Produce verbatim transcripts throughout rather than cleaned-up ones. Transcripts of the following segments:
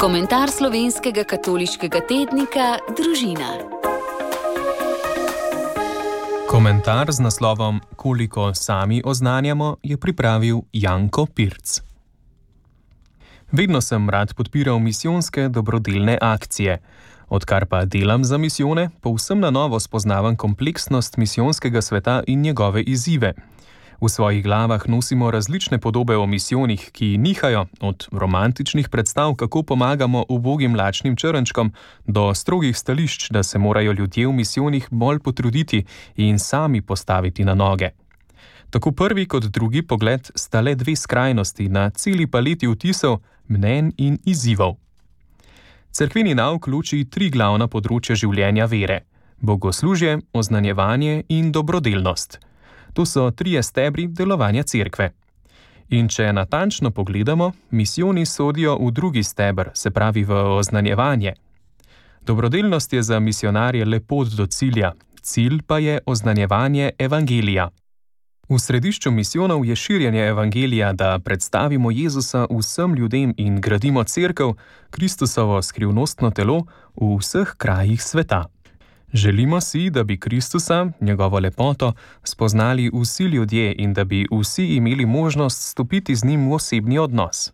Komentar slovenskega katoliškega tednika Družina. Komentar z naslovom Koliko sami oznanjamo je pripravil Janko Pirc. Vedno sem rad podpiral misijonske dobrodelne akcije. Odkar pa delam za misijone, povsem na novo spoznavam kompleksnost misijonskega sveta in njegove izzive. V svojih glavah nosimo različne podobe o misijonih, ki nihajo od romantičnih predstav, kako pomagamo ubogim lačnim črnčkom, do strogih stališč, da se morajo ljudje v misijonih bolj potruditi in sami postaviti na noge. Tako prvi kot drugi pogled sta le dve skrajnosti na celi paleti vtisov, mnenj in izzivov. Cerkveni nauk loči tri glavna področja življenja vere: bogoslužje, oznanjevanje in dobrodelnost. To so trije stebri delovanja cerkve. In če natančno pogledamo, misijoni sodijo v drugi steber, se pravi v oznanjevanje. Dobrodelnost je za misijonarje le pot do cilja, cilj pa je oznanjevanje evangelija. V središču misijonov je širjenje evangelija, da predstavimo Jezusa vsem ljudem in gradimo cerkev, Kristusovo skrivnostno telo, v vseh krajih sveta. Želimo si, da bi Kristusa, njegovo lepoto, spoznali vsi ljudje in da bi vsi imeli možnost stopiti z njim v osebni odnos.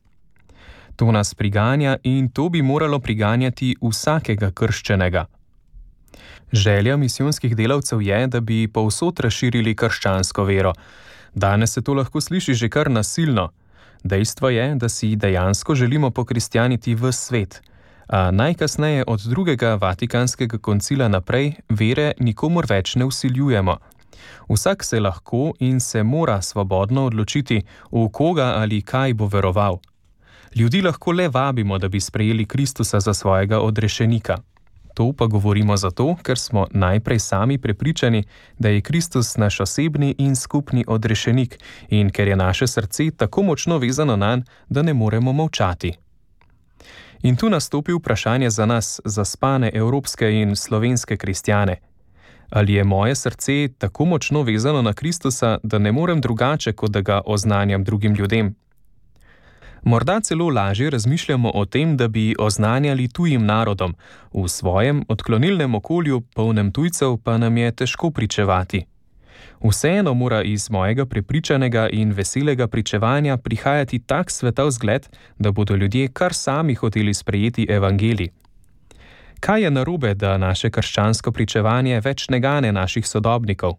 To nas priganja in to bi moralo priganjati vsakega krščenega. Želja misijonskih delavcev je, da bi povsod razširili krščansko vero. Danes se to lahko sliši že kar nasilno. Dejstvo je, da si dejansko želimo pokristjaniti ves svet. A najkasneje od drugega Vatikanskega koncila naprej vere nikomur več ne vsiljujemo. Vsak se lahko in se mora svobodno odločiti, v koga ali kaj bo veroval. Ljudi lahko le vabimo, da bi sprejeli Kristusa za svojega odrešenika. To pa govorimo zato, ker smo najprej sami prepričani, da je Kristus naš osebni in skupni odrešenik in ker je naše srce tako močno vezano nanj, da ne moremo molčati. In tu nastopi vprašanje za nas, zaspane evropske in slovenske kristjane. Ali je moje srce tako močno vezano na Kristusa, da ne morem drugače, kot da ga oznanjam drugim ljudem? Morda celo lažje razmišljamo o tem, da bi oznanjali tujim narodom, v svojem odklonilnem okolju, polnem tujcev, pa nam je težko pričevati. Vseeno mora iz mojega prepričanega in veselega pričevanja prihajati tak svetov zgled, da bodo ljudje kar sami hoteli sprejeti evangelij. Kaj je narobe, da naše krščansko pričevanje več ne gane naših sodobnikov?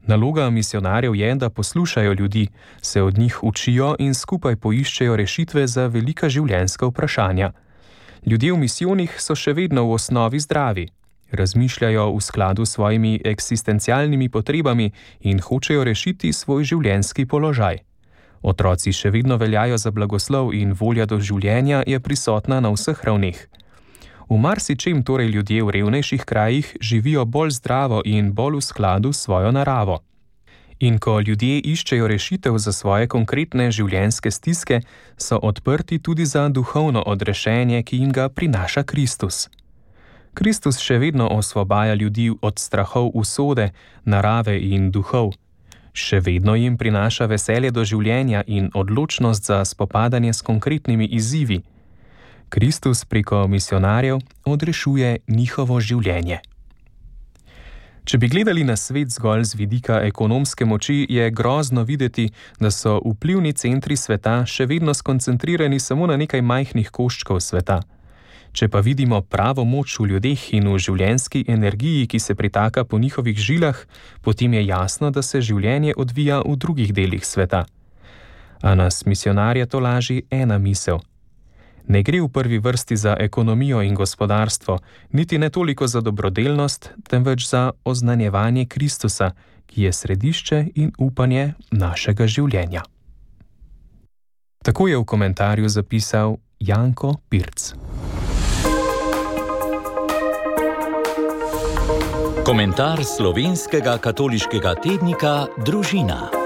Naloga misijonarjev je, da poslušajo ljudi, se od njih učijo in skupaj poiščejo rešitve za velika življenjska vprašanja. Ljudje v misijonih so še vedno v osnovi zdravi. Razmišljajo v skladu s svojimi eksistencialnimi potrebami in hočejo rešiti svoj življenjski položaj. Otroci še vedno veljajo za blagoslov in volja do življenja je prisotna na vseh ravneh. V marsičem torej ljudje v revnejših krajih živijo bolj zdravo in bolj v skladu s svojo naravo. In ko ljudje iščejo rešitev za svoje konkretne življenjske stiske, so odprti tudi za duhovno odrešenje, ki jim ga prinaša Kristus. Kristus še vedno osvobaja ljudi od strahov usode, narave in duhov. Še vedno jim prinaša veselje do življenja in odločnost za spopadanje s konkretnimi izzivi. Kristus preko misijonarjev odrešuje njihovo življenje. Če bi gledali na svet zgolj z vidika ekonomske moči, je grozno videti, da so vplivni centri sveta še vedno skoncentrirani samo na nekaj majhnih koščkov sveta. Če pa vidimo pravo moč v ljudeh in v življenjski energiji, ki se pritaka po njihovih žilah, potem je jasno, da se življenje odvija v drugih delih sveta. A nas misijonarje to laži ena misel. Ne gre v prvi vrsti za ekonomijo in gospodarstvo, niti ne toliko za dobrodelnost, temveč za oznanjevanje Kristusa, ki je središče in upanje našega življenja. Tako je v komentarju zapisal Janko Pirc. Komentar slovenskega katoliškega tednika Družina.